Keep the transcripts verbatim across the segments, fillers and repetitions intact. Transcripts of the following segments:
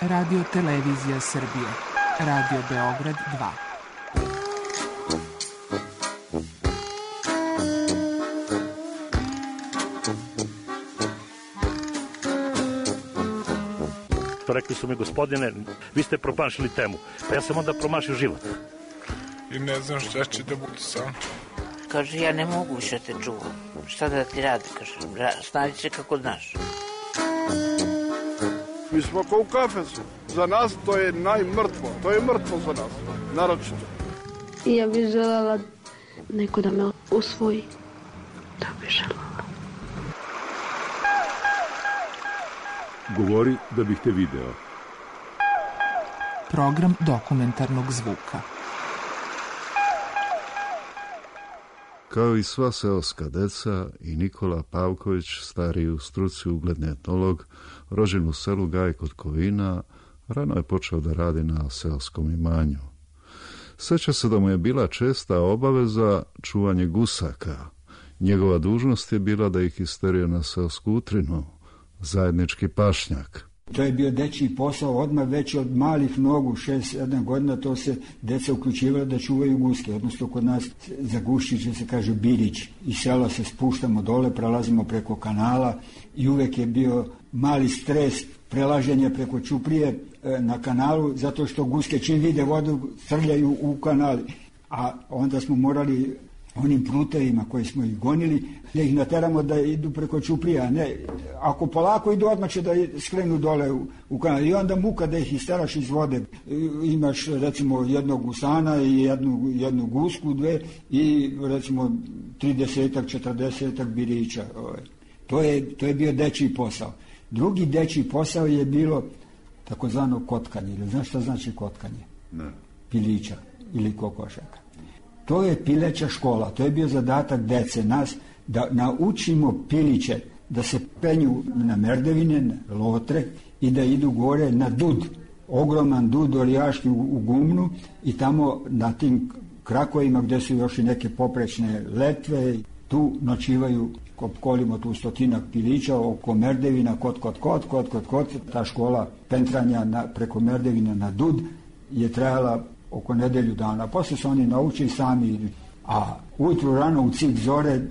Radio Televizija Srbije. Radio Beograd dva. Rekli su mi, gospodine, vi ste promašili temu. Pa ja sam onda promašio život. I ne znam šta će da bude sam. Kaže, ja ne mogu više te čuvam. Šta da ti radi, kaže, snađi se kako znaš. Mi smo kao u kafesu. Za nas to je najmrtvo. To je mrtvo za nas, naročito. I ja bih želela neko da me usvoji. Da bih želela. Govori da bih te video. Program dokumentarnog zvuka. Kao i sva seoska deca, i Nikola Pavković, stariji u struci ugledni etnolog, rođen u selu Gaj kod Kovina, rano je počeo da radi na seoskom imanju. Sjeća se da mu je bila česta obaveza čuvanje gusaka. Njegova dužnost je bila da ih isterio na seosku utrinu, zajednički pašnjak. To je bio dečiji posao, odmah već od malih nogu, šest sedam godina, to se deca uključivala da čuvaju guske, odnosno kod nas za Guščiće se kaže Birić. Iz sela se spuštamo dole, prelazimo preko kanala i uvek je bio mali stres prelaženja preko Ćuprije na kanalu, zato što guske čim vide vodu srljaju u kanali. A onda smo morali onim prutevima koji smo ih gonili, da ih nateramo da idu preko Ćuprija. Ne, ako polako idu, odmah će da skrenu dole u, u kanal. I onda muka da ih isteraš iz vode. Imaš recimo jednog gusana i jednu, jednu gusku, dve i recimo tridesetak, četrdesetak birića. To je, to je bio dečiji posao. Drugi dečiji posao je bilo takozvano kotkanje. Ili znaš šta znači kotkanje? Ne. Pilića ili kokošaka. To je pileća škola, to je bio zadatak dece, nas, da naučimo piliće da se penju na merdevine, na lotre i da idu gore na dud, ogroman dud orijaški u, u Gumnu i tamo na tim krakovima gdje su još i neke poprečne letve, tu noćivaju, kolimo tu stotinak pilića oko merdevina, kot, kot, kot, kot, kot, kot, ta škola pentranja na, preko merdevina na dud je trajala oko nedelju dana. Poslije su oni naučili sami. A ujutru rano u cik zore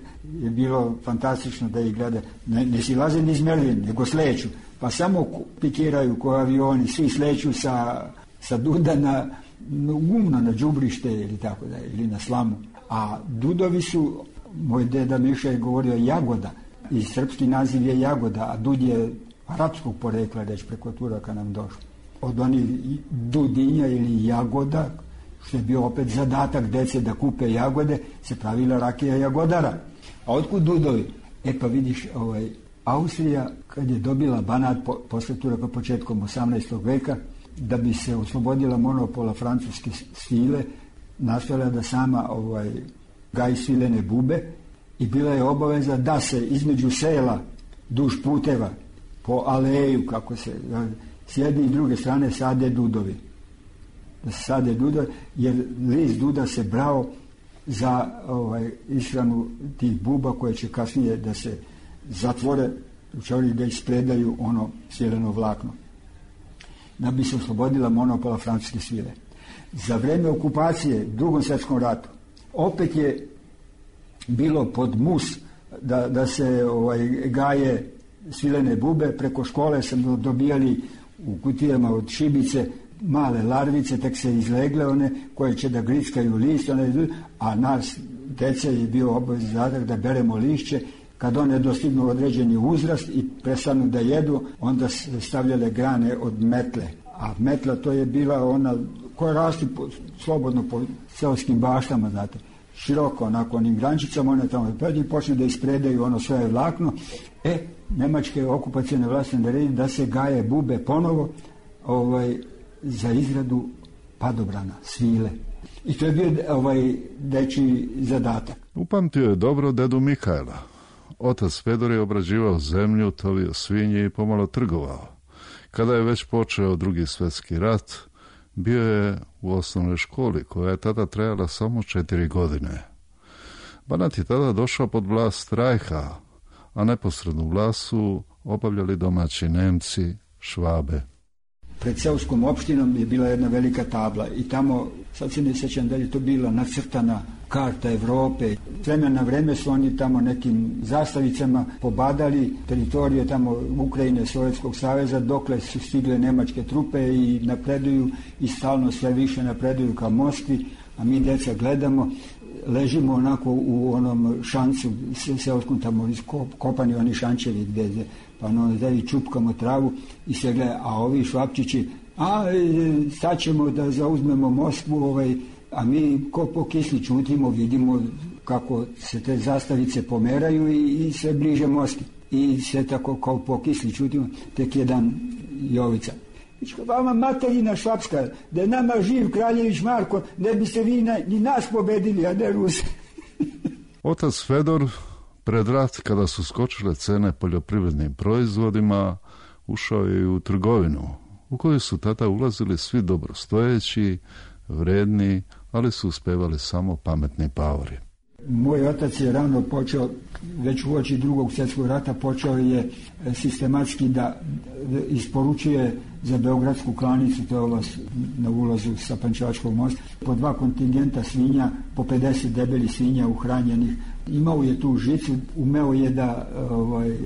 je bilo fantastično da ih gleda. Ne, ne silaze ni iz merdevine, nego sleću. Pa samo pikiraju ko avioni, svi sleću sa, sa duda na, na Gumno, na đubrište ili tako da, ili na slamu. A dudovi su, moj deda Miša je govorio jagoda. I srpski naziv je jagoda, a dud je arapskog porekla, reći preko Turaka nam došlo. Od onih dudinja ili jagoda, što je bio opet zadatak dece da kupe jagode, se pravila rakija jagodara. A otkud dudovi? E pa vidiš, ovaj, Austrija, kad je dobila Banat po, posle Turaka početkom osamnaestog veka, da bi se oslobodila monopola francuske svile, nastojala da sama ovaj, gaji svilene bube i bila je obaveza da se između sela, duž puteva, po aleju, kako se... s jedne i druge strane sade dudovi. Da se sade dudovi, jer list duda se brao za ovaj, ishranu tih buba koje će kasnije da se zatvore, učori da ispredaju ono svileno vlakno. Da bi se oslobodila monopola francuske svile. Za vreme okupacije, drugom svjetskom ratu, opet je bilo pod mus da, da se ovaj, gaje svilene bube, preko škole sam dobijali u kutijama od šibice male larvice, tek se izlegle one koje će da grickaju list, one, a nas dece je bio obavezni zadatak da beremo lišće. Kad one dostignu određeni uzrast i prestanu da jedu, onda se stavljale grane od metle. A metla to je bila ona koja rasti po, slobodno po seoskim baštama, znate, široko onako onim grančicama, one tamo i počne da ispredaju ono svoje vlakno. E, nemačke okupacione vlasti naredili da se gaje bube ponovo ovaj, za izradu padobrana, svile. I to je bio ovaj, dečiji zadatak. Upamtio je dobro dedu Mihajla. Otac Fedor je obrađivao zemlju, tovio svinje i pomalo trgovao. Kada je već počeo Drugi svjetski rat, bio je u osnovnoj školi koja je tada trajala samo četiri godine. Banat je tada došao pod vlast Rajha, a neposrednu vlast su obavljali domaći Nemci, Švabe. pred seoskom opštinom je bila jedna velika tabla i tamo, sad se ne sjećam da je to bila nacrtana karta Evrope. S vremena na vreme su oni tamo nekim zastavicama pobadali teritorije tamo Ukrajine, Sovjetskog saveza, dokle su stigle nemačke trupe i napreduju i stalno sve više napreduju ka Moskvi, a mi deca gledamo, ležimo onako u onom šancu seoskom tamo kopani oni šančevi gdje, pa ono da i čupkamo travu i sve gleda, a ovi švapčići, a sad ćemo da zauzmemo Moskvu, ovaj, a mi ko po kisli čutimo, vidimo kako se te zastavice pomeraju i, i sve bliže Moskvi. I sve tako kao po kisli čutimo, tek jedan Jovica. Vama materina švapska, da je nama živ Kraljević Marko, ne biste vi na, ni nas pobedili, a ne Ruse. Otac Fedor, pred rat, kada su skočile cene poljoprivrednim proizvodima, ušao je u trgovinu, u koju su tada ulazili svi dobrostojeći, vredni, ali su uspevali samo pametni paori. Moj otac je rano počeo, već u oči drugog svjetskog rata, počeo je sistematski da isporučuje za Beogradsku klanicu, to je ovo na ulazu sa Pančevačkog mosta, po dva kontingenta svinja, po pedeset debeli svinja uhranjenih. Imao je tu žicu, umeo je da, ovaj,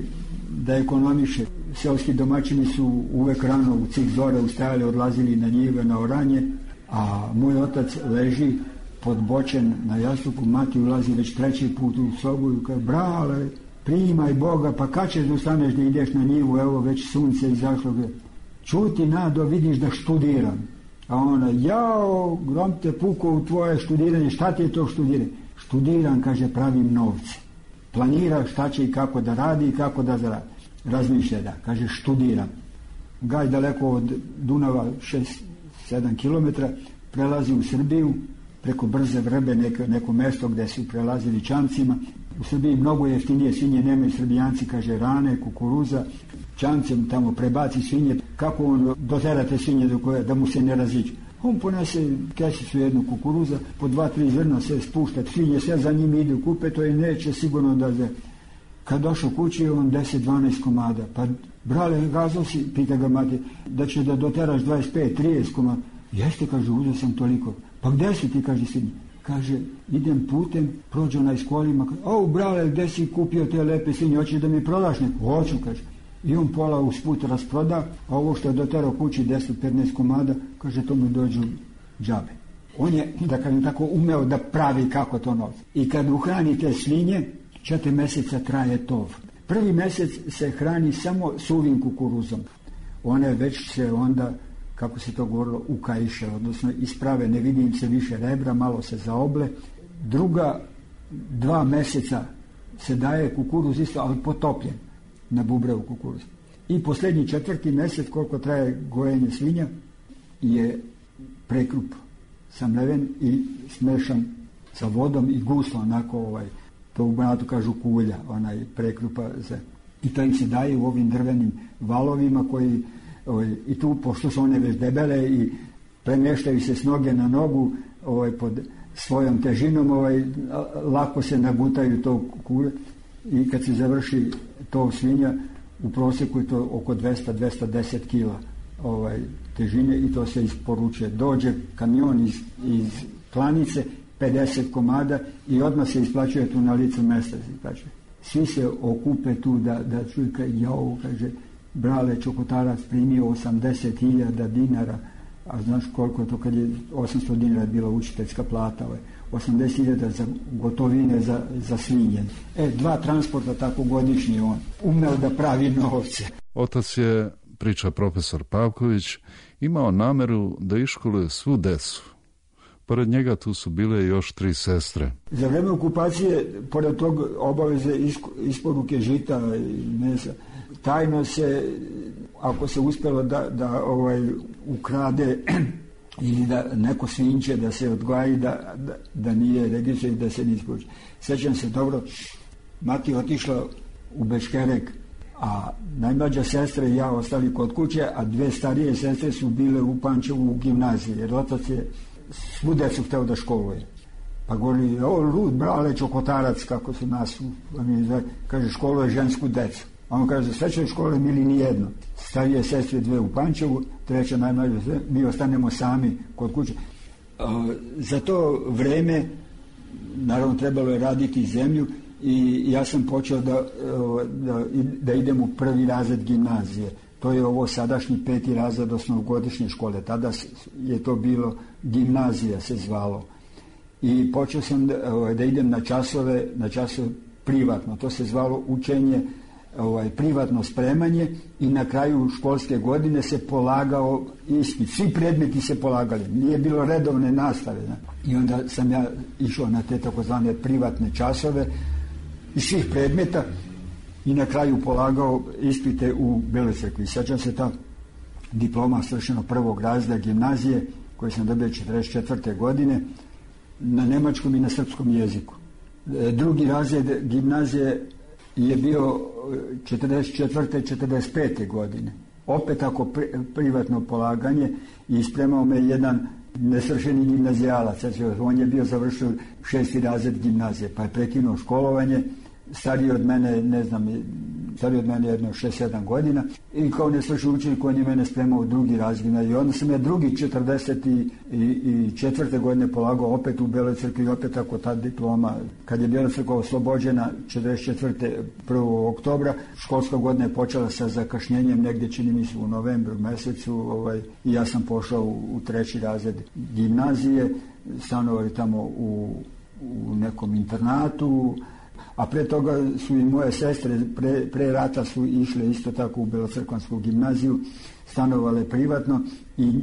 da ekonomiše. Seoski domaćini su uvek rano u cik zore ustajali, odlazili na njive, na oranje, a moj otac leži podbočen na jastuku, mati ulazi već treći put u sobu i kaže, brale, primaj Boga, pa kad ćeš da ustaneš da ideš na njivu, evo već sunce izašlo. Čuti, Nado, vidiš da študiram. A ona, jao, grom te puko u tvoje študiranje, šta ti je to študiranje? Študiram, kaže, pravim novce. Planira šta će i kako da radi i kako da zaradi. Razmišlja da, kaže, študiram. Gaj daleko od Dunava, šest sedam kilometra, prelazi u Srbiju, preko Brze Vrbe, neko, neko mesto gde su prelazili čamcima. U Srbiji mnogo jeftinije svinje nemaju Srbijanci, kaže, rane, kukuruza, čamcem tamo prebaci svinje. Kako on dotera te svinje do koje, da mu se ne raziđu? On ponese kesicu jednu kukuruza, po dva, tri zrna se spušta, svinje sve za njim idu kupe, to i neće sigurno da se... Kad došao kući, on deset dvanaest komada. Pa, brale, gazao si, pita ga mati, da će da doteraš dvadeset pet trideset komada. Jeste, kaže, uzeo sam toliko. Pa gde si ti, kaže sine? Kaže, idem putem, prođe onaj s kolima. O, brale, gde si kupio te lepe svinje, hoćeš da mi prodaš neko? Hoću, kaže. I on pola usput rasproda, a ovo što je doterao kući deset petnaest komada, kaže, to mu dođu džabe. On je, da kažem tako, umeo da pravi kako to novce. I kad uhrani te svinje, četiri meseca traje tov. Prvi mesec se hrani samo suvim kukuruzom. One već se onda, kako se to govorilo, ukajiše, odnosno isprave, ne vidim se više rebra, malo se zaoble. Druga dva meseca se daje kukuruz isto, ali potopljen na bubrevu kukuruz. I posljednji četvrti mesec, koliko traje gojenje svinja, je prekrup samleven i smešan sa vodom i guslo, onako ovaj, to u Banatu kažu kulja, onaj prekrupa za... I to im se daje u ovim drvenim valovima koji, ovaj, i tu, pošto su one već debele i premještaju se s noge na nogu, ovaj, pod svojom težinom, ovaj, lako se nagutaju to kulje i kad se završi to svinja, u prosjeku je to oko dvesta do dvesta deset kila ovaj, težine i to se isporučuje. Dođe kamion iz, iz klanice, pedeset komada i odmah se isplaćuje tu na licu mesta. Svi se okupe tu da, da čuju, jao, kaže, brale, Čokotarac primio osamdeset hiljada dinara, a znaš koliko je to kad je osamsto dinara bila učiteljska plata, ovaj, osamdeset hiljada za gotovine za, za svinje. E, dva transporta tako godišnje on umeo da pravi novce. Otac je, priča profesor Pavković, imao nameru da iškoluje svu decu. Pored njega tu su bile još tri sestre. Za vreme okupacije, pored tog obaveze isporuke žita i mesa, tajno se, ako se uspjelo da, da ovaj, ukrade ili da neko svinče da se odgoji, da, da, da nije registra i da se ne isporuči. Sjećam se dobro, mati otišla u Beškerek, a najmlađa sestra i ja ostali kod kuće, a dve starije sestre su bile u Pančevu u gimnaziji, jer otac je svu decu hteo da školuje. Pa govori, o, lud, brale, Čokotarac, kako su nas, kaže, školuje žensku decu. A on kaže, sve će škole mi ili nijedno. Starije sestre dve u Pančevu, treća najmlađa, mi ostanemo sami kod kuće. Za to vreme, naravno, trebalo je raditi zemlju i ja sam počeo da, da, da idem u prvi razred gimnazije. To je ovo sadašnji peti razred osnovogodišnje škole. Tada je to bilo gimnazija se zvalo. I počeo sam da, da idem na časove, na časove privatno. To se zvalo učenje, ovaj, privatno spremanje i na kraju školske godine se polagao ispit. Svi predmeti se polagali. Nije bilo redovne nastave. Ne? I onda sam ja išao na te takozvane privatne časove iz svih predmeta i na kraju polagao ispite u Beloj Crkvi. Sjećam se ta diploma svršeno prvog razreda gimnazije koju sam dobio četrdeset četvrte godine na nemačkom i na srpskom jeziku. Drugi razred gimnazije je bio četrdeset četvrte četrdeset pete godine. Opet ako pri, privatno polaganje i spremao me jedan nesvršeni gimnazijalac. On je bio završio šesti razred gimnazije, pa je prekinuo školovanje. Stariji od mene, ne znam, stariji od mene jedno šest sedam godina i kao nesvršen učenik on je mene spremao u drugi razred. I onda sam ja drugi četrdeset četvrte godine polagao opet u Beloj Crkvi i opet ako ta diploma, kad je Bela Crkva oslobođena četrdeset četvrte prvog oktobra, školska godina je počela sa zakašnjenjem negdje, čini mi se, u novembru mesecu, ovaj, i ja sam pošao u, u treći razred gimnazije, stanovali tamo u, u nekom internatu. A pre toga su i moje sestre, pre, pre rata su išle isto tako u Belocrkvansku gimnaziju, stanovale privatno i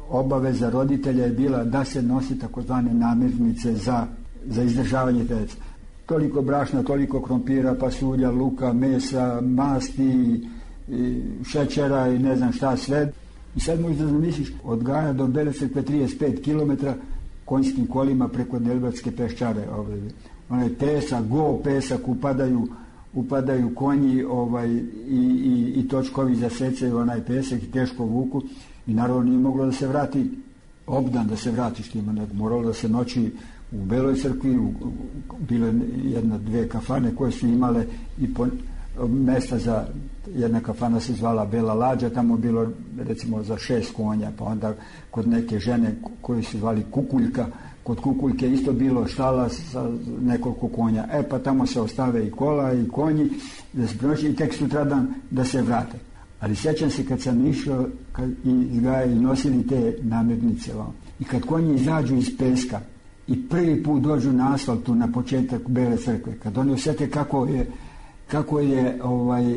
obaveza roditelja je bila da se nosi takozvane namirnice za, za izdržavanje djece. Toliko brašna, toliko krompira, pasulja, luka, mesa, masti, i šećera i ne znam šta sve. I sad možda zamisliš, od Gaja do Bele Crkve trideset pet kilometara konjskim kolima preko Delbatske peščare. Ovaj, onaj pesak, go pesak, upadaju, upadaju konji ovaj, i, i, i točkovi zasecaju onaj pesak i teško vuku. I naravno nije moglo da se vrati obdan, da se vrati štima, nego moralo da se noći u Beloj Crkvi, u, u, bile jedna, dve kafane koje su imale i po, mesta za, jedna kafana se zvala Bela Lađa, tamo bilo recimo za šest konja, pa onda kod neke žene koje se zvali Kukuljka, kod Kukuljke isto bilo štala sa nekoliko konja. E pa tamo se ostave i kola i konji da se proći i tek sutradan da se vrate. Ali sjećam se kad sam išao kad, iz Gaja i nosili te namirnice vam. I kad konji izađu iz peska i prvi put dođu na asfaltu na početak Bele Crkve, kad oni osjete kako je, kako je ovaj,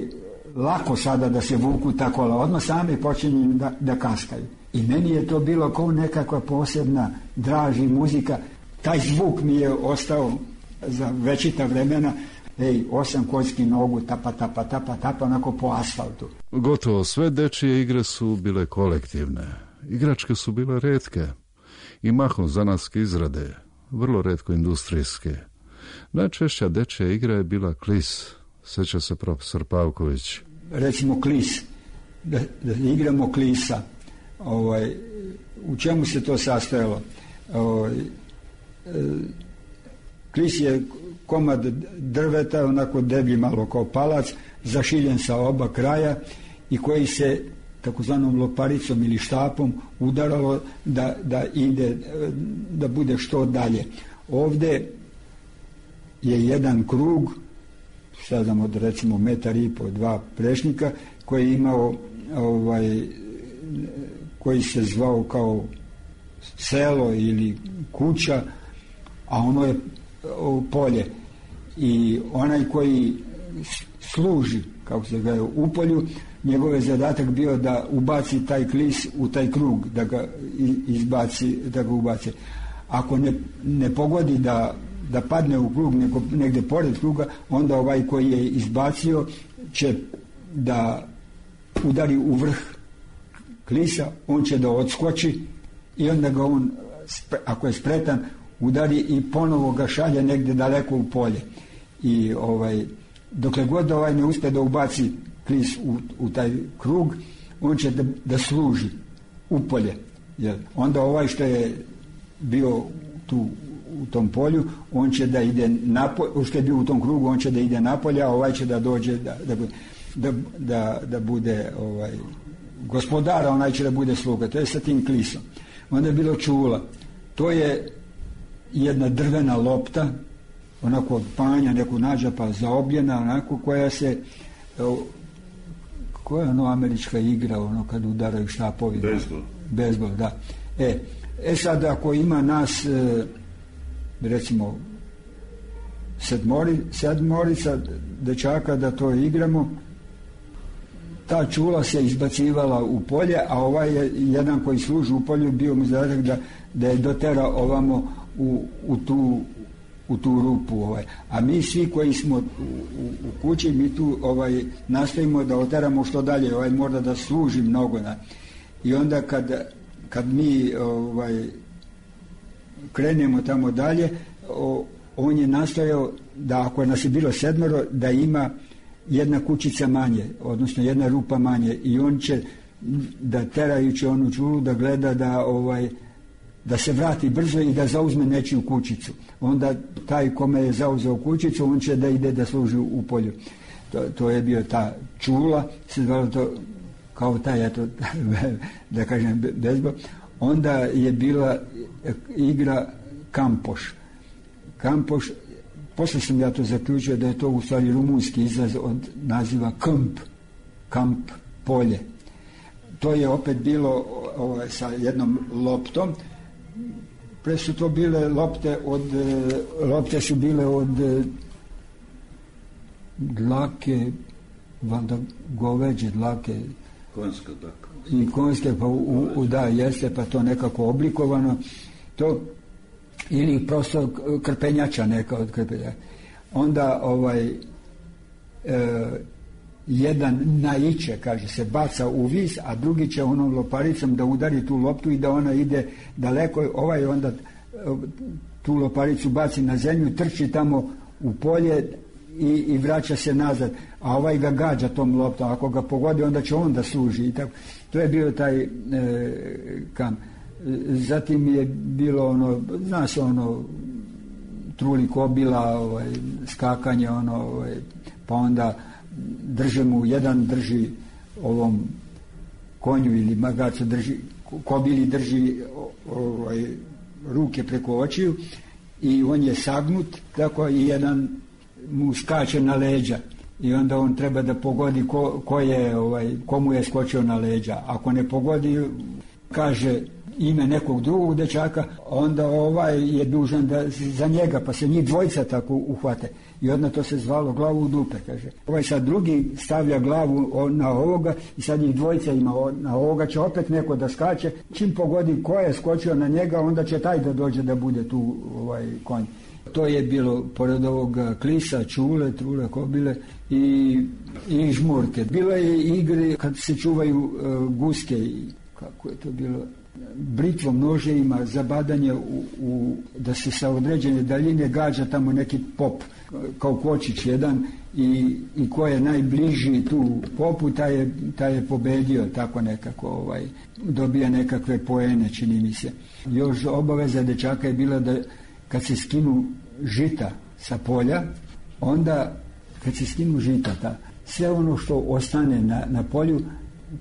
lako sada da se vuku ta kola, odmah sami počinju da, da kaskaju. I meni je to bilo kao nekakva posebna draž i muzika. Taj zvuk mi je ostao za večita vremena. Ej, osam konjskih nogu, tapa, tapa, tapa, tapa, onako po asfaltu. Gotovo sve dečije igre su bile kolektivne. Igračke su bile retke i mahom zanatske izrade, vrlo retko industrijske. Najčešća dečija igra je bila klis, sjeća se profesor Pavković. Recimo klis, da, da igramo klisa. Ovaj, u čemu se to sastojalo? Ovaj, klis je komad drveta, onako deblji malo kao palac, zašiljen sa oba kraja i koji se takozvanom loparicom ili štapom udaralo da, da ide, da bude što dalje. Ovdje je jedan krug, sad znam od recimo metar i po, dva prešnika, koji je imao ovaj, koji se zvao kao selo ili kuća, a ono je polje. I onaj koji služi, kako se ga u polju, njegov je zadatak bio da ubaci taj klis u taj krug, da ga izbaci, da ga ubaci. Ako ne, ne pogodi da, da padne u krug, nego negdje pored kruga, onda ovaj koji je izbacio će da udari u vrh klisa, on će da odskoči i onda ga on, ako je spretan, udari i ponovo ga šalje negdje daleko u polje. I ovaj, dokle god ovaj ne uspije da ubaci klis u, u taj krug, on će da, da služi u polje. Jer onda ovaj što je bio tu u tom polju, on će da ide napolje, što je bio u tom krugu, on će da ide napolje, a ovaj će da dođe da, da... da, da, da bude ovaj, gospodara, onaj će da bude sluga. To je sa tim klisom. Onda je bilo čula. To je jedna drvena lopta, onako od panja, neku nađa pa zaobljena, onako koja se, koja je ono američka igra, ono kad udaraju štapovi. Bejzbol. Bejzbol, da. E, e sad ako ima nas, e, recimo, sedmori, sedmorica dečaka da to igramo, ta čula se izbacivala u polje, a ovaj je jedan koji služi u polju bio mu zadatak da, da je dotera ovamo u, u, tu, u tu rupu. Ovaj. A mi svi koji smo u, u, u kući, mi tu ovaj, nastojimo da oteramo što dalje, ovaj mora da služi mnogo. Na. I onda kad, kad mi ovaj, krenemo tamo dalje, o, on je nastojao da ako nas je bilo sedmero, da ima jedna kućica manje, odnosno jedna rupa manje, i on će da terajući onu čulu da gleda da ovaj da se vrati brzo i da zauzme nečiju kućicu. Onda taj kome je zauzeo kućicu, on će da ide da služi u polju. To, to je bio ta čula, se zvalo to kao taj, eto, da kažem, bezbol. Onda je bila igra kampoš. Kampoš, posle sam ja to zaključio da je to u stvari rumunski izraz od naziva kamp, kamp, polje. To je opet bilo ovaj, sa jednom loptom. Pre su to bile lopte od, lopte su bile od dlake, valjda goveđe dlake. Konjska, tako. I konjske, pa u, u, da, jeste, pa to nekako oblikovano. To ili prosto krpenjača neka od krpenjača. Onda ovaj e, jedan naiče, kaže se, baca u vis, a drugi će onom loparicom da udari tu loptu i da ona ide daleko. Ovaj onda tu loparicu baci na zemlju, trči tamo u polje i, i vraća se nazad, a ovaj ga gađa tom loptom. Ako ga pogodi, onda će on da služi. I tako. To je bio taj e, kam. Zatim je bilo ono, zna se ono, truli kobila, ovaj, skakanje, ono, ovaj, pa onda drže mu, jedan drži ovom konju ili magacu drži, kobili drži ovaj, ruke preko očiju i on je sagnut, tako i jedan mu skače na leđa i onda on treba da pogodi ko, ko je, ovaj, komu je skočio na leđa. Ako ne pogodi, kaže ime nekog drugog dečaka, onda ovaj je dužan da za njega, pa se njih dvojica tako uhvate. I onda to se zvalo glavu u dupe, kaže. Ovaj sad drugi stavlja glavu na ovoga i sad njih dvojica ima na ovoga, će opet neko da skače. Čim pogodi ko je skočio na njega, onda će taj da dođe da bude tu ovaj konj. To je bilo pored ovog klisa, čule, trule, kobile i, i žmurke. Bilo je igre kad se čuvaju uh, guske i kako je to bilo, britvom, noževima, zabadanje u, u, da se sa određene daljine gađa tamo neki pop, kao kočić jedan i, i ko je najbliži tu popu, taj je, taj je pobedio, tako nekako ovaj, dobija nekakve poene, čini mi se. Još obaveza dečaka je bila da kad se skinu žita sa polja, onda kad se skinu žita, ta, sve ono što ostane na, na polju,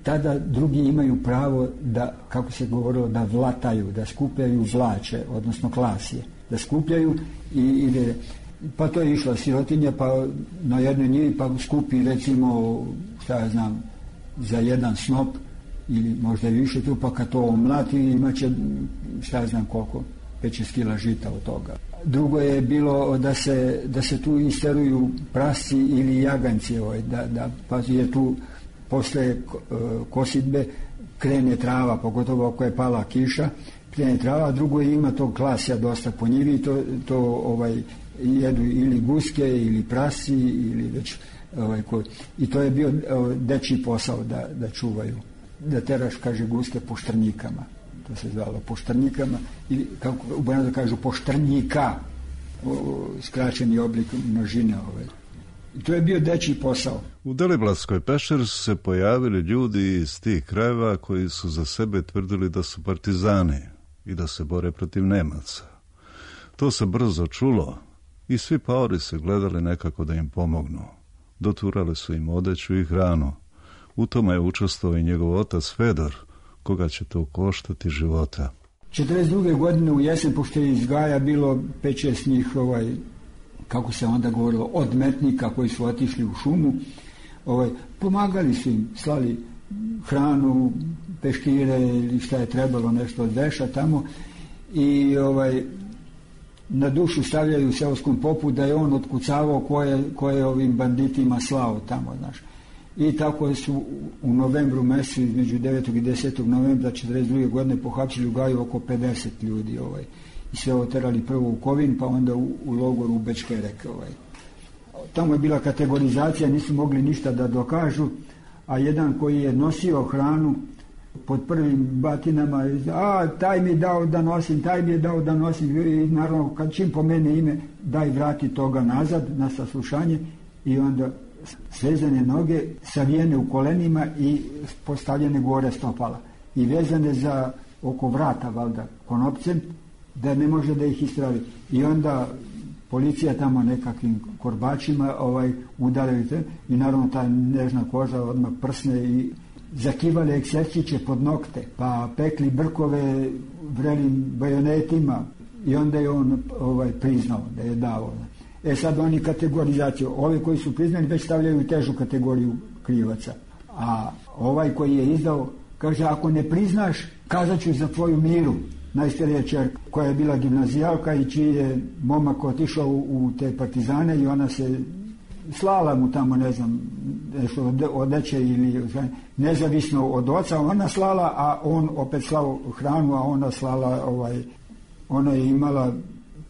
tada drugi imaju pravo da, kako se govorilo, da vlataju, da skupljaju vlače, odnosno klasije, da skupljaju i ide, pa to je išla sirotinja, pa na jednoj njivi pa skupi recimo, šta ja znam, za jedan snop ili možda i više tu, pa kad to omlati imaće, šta ja znam koliko, pet šest kila žita od toga. Drugo je bilo da se, da se tu isteruju prasci ili jaganci, ovaj, da, da, pa je tu posle kosidbe krene trava, pogotovo ako je pala kiša, krene trava, a drugo je ima tog klasja dosta po njivi, to, to ovaj, jedu ili guske ili prasi ili već ovaj, ko, i to je bio ovaj, dečji posao da, da čuvaju, da teraš, kaže, guske po štrnjikama, to se zvalo po štrnjikama ili kako u Banatu kažu po štrnjika, o, skraćeni oblik množine ovaj. I to je bio dečji posao. U Deliblatskoj pešeri su se pojavili ljudi iz tih krajeva koji su za sebe tvrdili da su partizani i da se bore protiv Nemaca. To se brzo čulo i svi paori se gledali nekako da im pomognu. Doturali su im odeću i hranu. U tome je učestvovao i njegov otac Fedor, koga će to koštati života. četrdeset druge godine u jesen, pošto je iz Gaja bilo pet šest njih, ovaj, kako se onda govorilo, odmetnika koji su otišli u šumu, ovaj, pomagali su im, slali hranu, peškire ili šta je trebalo, nešto od veša tamo, i ovaj, na dušu stavljaju u seoskom popu da je on otkucavao koje, koje ovim banditima slao tamo, znaš. I tako su u novembru mesecu, između devetog i desetog novembra četrdeset druge godine pohapsili u Gaju oko pedeset ljudi, ovaj, i sve oterali prvo u Kovin, pa onda u, u logoru u Bečkerek. Ovaj. Tamo je bila kategorizacija, nisu mogli ništa da dokažu, a jedan koji je nosio hranu pod prvim batinama, a taj mi je dao da nosim, taj mi je dao da nosim, i naravno kad čim pomene ime, daj vrati toga nazad na saslušanje, i onda svezane noge, savijene u kolenima i postavljene gore stopala i vezane za oko vrata, valjda, konopcem, da ne može da ih istravi. I onda policija tamo nekakvim korbačima ovaj, udaraju te, i naravno ta nežna koža odmah prsne i zakivali ekserčiće pod nokte, pa pekli brkove vrelim bajonetima, i onda je on ovaj, priznao da je dao. E sad oni kategorizaciju, ove koji su priznani već stavljaju u težu kategoriju krivaca, a ovaj koji je izdao kaže, ako ne priznaš, kazat ću za tvoju Miru, najstarija ćerka koja je bila gimnazijalka i čiji je momak otišao u, u te partizane, i ona se slala mu tamo, ne znam, nešto odeće ili nezavisno od oca, ona slala, a on opet slao hranu, a ona slala, ovaj, ona je imala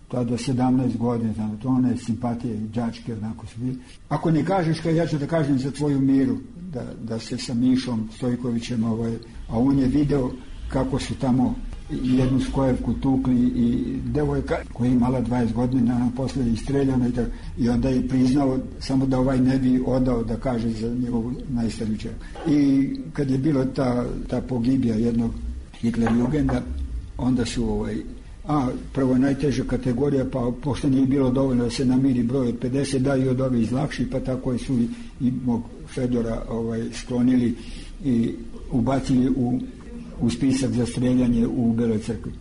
tada sedamnaest godina, znam, to one simpatije, đačke, onako su bili. Ako ne kažeš, kaj ja ću da kažem za tvoju Miru, da, da se sa Mišom Stojkovićem, ovaj, a on je video kako su tamo jednu skojevku tukli i devojka koja je imala dvadeset godina, ona posle je istreljana, i, i onda je priznao samo da ovaj ne bi odao da kaže za njegovu najstariju ćerku. I kad je bilo ta, ta pogibija jednog Hitlerjugenda, onda su ovaj, a prvo najteža kategorija, pa pošto nije bilo dovoljno da se namiri broj od pedeset, da i od ove izlakši, pa tako su i, i mog Fedora ovaj, sklonili i ubacili u, u spisak za streljanje u Beloj crkvi.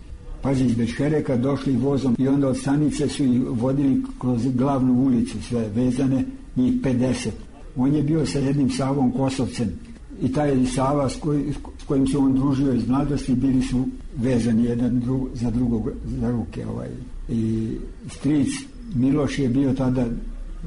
Pazi, iz Bečkereka došli vozom i onda od stanice su ih vodili kroz glavnu ulicu, sve vezane, njih pedeset. On je bio sa jednim Savom Kosovcem i taj Sava s, koj, s kojim se on družio iz mladosti, bili su vezani jedan drug, za drugog za ruke. Ovaj. I stric Miloš je bio tada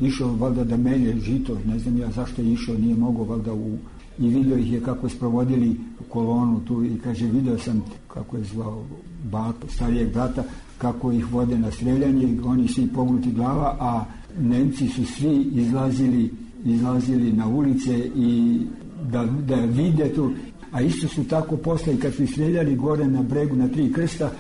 išao valjda da melje žito, ne znam ja zašto je išao, nije mogao valjda u... I vidio ih je kako sprovodili u kolonu tu, i kaže, video sam kako je zvao bak, starijeg brata, kako ih vode na streljanje, oni svi pognuti glava, a Nemci su svi izlazili, izlazili na ulice i da, da vide tu. A isto su tako posle, kad su streljali gore na bregu na Tri krsta,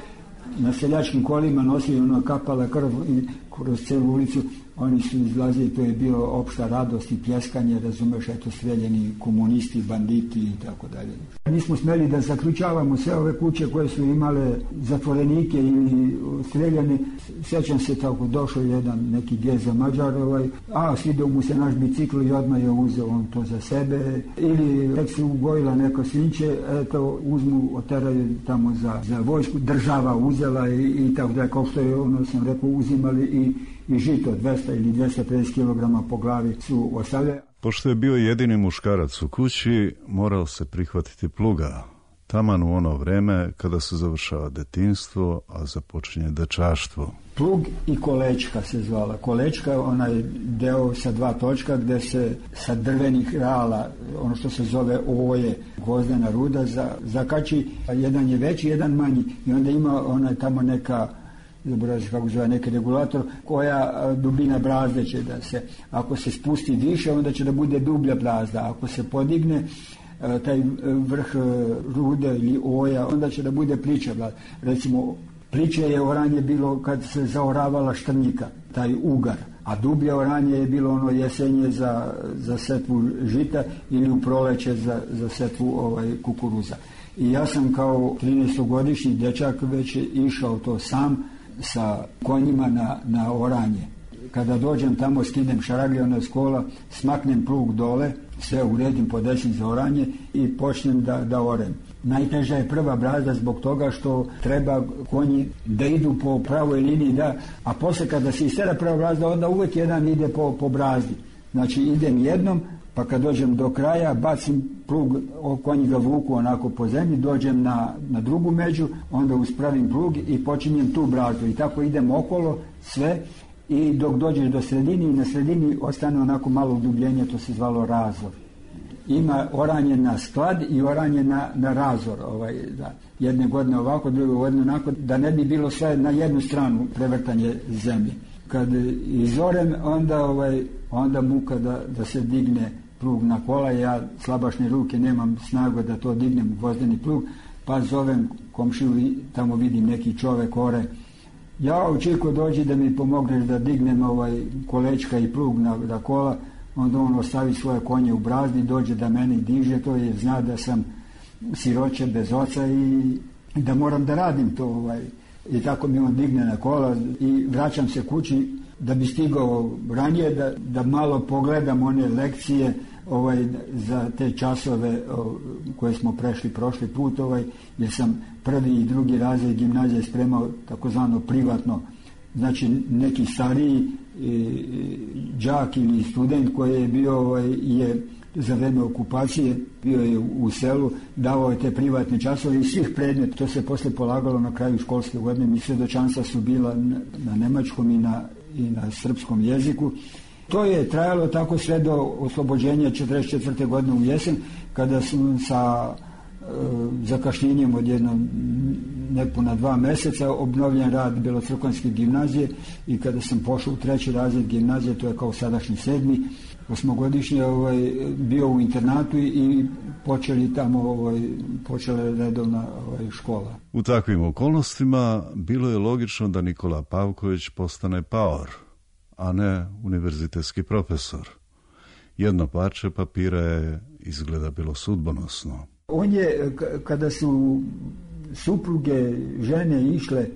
na seljačkim kolima nosili, ono, kapala krv i kroz celu ulicu oni su izlazili, to je bilo opšta radost i pljeskanje, razumeš, eto, streljeni komunisti, banditi i tako dalje. Nismo smeli da zaključavamo sve ove kuće koje su imale zatvorenike ili streljane. Sjećam se tako, došao jedan neki Geza Mađar, ovaj, a svidio mu se naš bicikl i odmah je uzeo on to za sebe, ili tek se ugojila neko svinče, eto, uzmu, oteraju tamo za, za vojsku, država uzela i, i tako da, kao što je ono sam rekao, uzimali i i žito dvesta ili dvesta pedeset kilograma po glavi su ostavljali. Pošto je bio jedini muškarac u kući, morao se prihvatiti pluga. Taman u ono vreme kada se završava detinjstvo, a započinje dečaštvo. Plug i kolečka se zvala. Kolečka je onaj deo sa dva točka gde se sa drvenih rala, ono što se zove oje, gvozdena ruda, za, zakači. Jedan je veći, jedan manji. I onda ima onaj tamo neka, zaboravim kako zove, neki regulator, koja dubina brazde će da se, ako se spusti više, onda će da bude dublja brazda. Ako se podigne taj vrh rude ili oja, onda će da bude plića brazda. Recimo, pliće je oranje bilo kad se zaoravala štrnjika, taj ugar, a dublje oranje je bilo ono jesenje za, za setvu žita ili u proleće za, za setvu ovaj, kukuruza. I ja sam kao trinaestogodišnji dečak već išao to sam sa konjima na, na oranje. kada dođem tamo, skinem šaraglje, ona s kola, smaknem plug dole, sve uredim, podesim za oranje i počnem da, da orem. Najteža je prva brazda zbog toga što treba konji da idu po pravoj liniji, da, a posle kada se istera prva brazda, onda uvek jedan ide po, po brazdi. Znači idem jednom, pa kad dođem do kraja, bacim plug, konji ga vuku onako po zemlji, dođem na, na drugu među, onda uspravim plug i počinjem tu brazdu. I tako idem okolo sve i dok dođeš do sredini i na sredini ostane onako malo udubljenje, to se zvalo razor. Ima oranje na sklad i oranje na, na razor. Ovaj, da, jedne godine ovako, druge godine onako, da ne bi bilo sve na jednu stranu prevrtanje zemlje. Kad izorem, onda, ovaj, onda muka da, da se digne plug na kola, ja slabašne ruke, nemam snagu da to dignem u vozdeni plug, pa zovem komšiju i tamo vidim neki čovek ore. Ja, Čiko, dođi da mi pomogneš da dignem ovaj kolečka i plug na, na kola. Onda on ostavi svoje konje u brazdi, dođe da mene diže to, jer zna da sam siroće bez oca i, i da moram da radim to. Ovaj. I tako mi on digne na kola i vraćam se kući da bi stigao ranije, da, da malo pogledam one lekcije ovaj, za te časove o, koje smo prešli prošli put, ovaj, jer sam prvi i drugi razred gimnazije spremao takozvano privatno. Znači neki stariji đak ili student koji je bio ovaj, je za vreme okupacije, bio je u selu, davao je te privatne časove i svih predmeta. To se posle polagalo na kraju školske godine i svedočanstva su bila na, na nemačkom i na, i na srpskom jeziku. To je trajalo tako sve do oslobođenja četrdeset četvrte godine u jesen, kada sam sa e, zakašnjenjem od jedno nepuna dva meseca obnovljen rad Belocrkvanske gimnazije i kada sam pošao u treći razred gimnazije, to je kao sadašnji sedmi, osmogodišnji, ovaj, bio u internatu i počeli tamo, ovaj, počela redovna ovaj, škola. U takvim okolnostima bilo je logično da Nikola Pavković postane paor, a ne univerzitetski profesor. Jedno parče papira je izgleda bilo sudbonosno. On je, kada su supruge, žene išle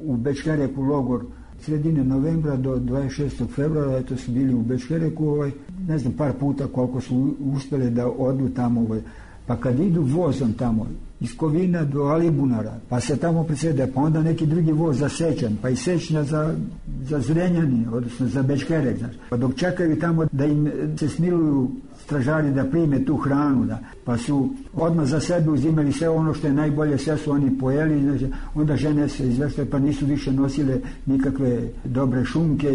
u Bečkereku logor sredine novembra do dvadeset šestog februara, eto su bili u Bečkereku, ovaj, ne znam par puta koliko su uspjeli da odu tamo, ovaj. Pa kad idu vozom tamo, iz Kovina do Alibunara, pa se tamo presede, pa onda neki drugi voz za Sečan, pa i Sečnja za, za Zrenjanin, odnosno za Bečkerek, znači. Pa dok čekaju tamo da im se smiluju stražari da prime tu hranu, da, pa su odmah za sebe uzimali sve ono što je najbolje, sve su oni pojeli, znači, onda žene se izveštaju, pa nisu više nosile nikakve dobre šunke,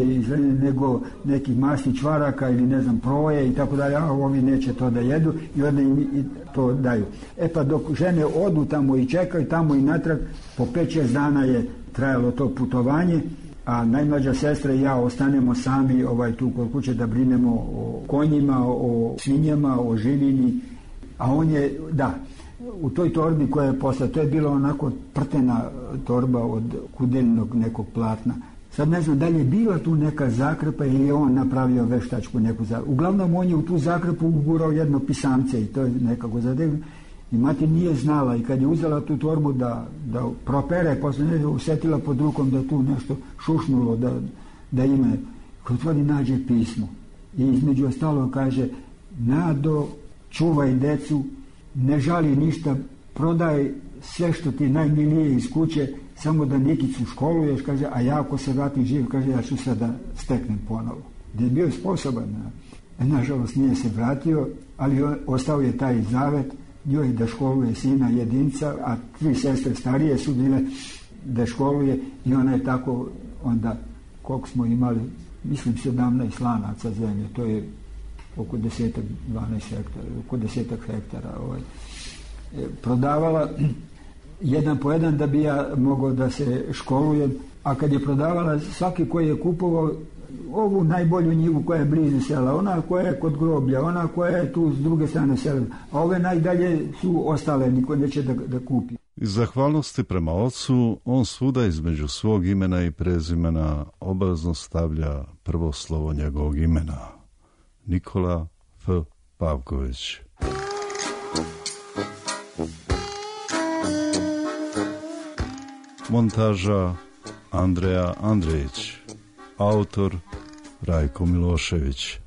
nego nekih masnih čvaraka ili ne znam proje i tako dalje, a ovi neće to da jedu i onda im i to daju. E pa dok žene odu tamo i čekaju tamo i natrag, po pet šest dana je trajalo to putovanje, a najmlađa sestra i ja ostanemo sami ovaj, tu kod kuće da brinemo o konjima, o svinjama, o živini, a on je, da, u toj torbi koja je posla, to je bila onako prtena torba od kudeljnog nekog platna. Sad ne znam da li je bila tu neka zakrpa ili je on napravio veštačku neku zakrpu. Uglavnom on je u tu zakrpu ugurao jedno pisamce i to je nekako zadevno. I mati nije znala i kad je uzela tu torbu da, da propere, posle ne usetila pod rukom da tu nešto šušnulo, da, da ima. Kad otvori nađe pismo i između ostalo kaže: Nado, čuvaj decu, ne žali ništa, prodaj sve što ti najmilije iz kuće, samo da Nikicu školuješ, kaže, a ja ako se vratim živ, kaže, ja ću sad da steknem ponovo. Da je bio sposoban. Nažalost nije se vratio, ali ostao je taj zavet njoj da školuje sina jedinca, a tri sestre starije su bile da školuje i ona je tako onda, koliko smo imali, mislim sedamnaest lanaca zemlje, to je oko desetak, dvanaest hektara, oko desetak hektara ovaj, prodavala jedan po jedan da bi ja mogao da se školujem, a kad je prodavala svaki koji je kupovao ovu najbolju njivu koja je blizu sela, ona koja je kod groblja, ona koja je tu s druge strane sela, a ove najdalje su ostale, niko neće da, da kupi. Iz zahvalnosti prema ocu, on svuda između svog imena i prezimena obavezno stavlja prvo slovo njegovog imena. Nikola F. Pavković. Montaža Andreja Andrejić. Autor Rajko Milošević.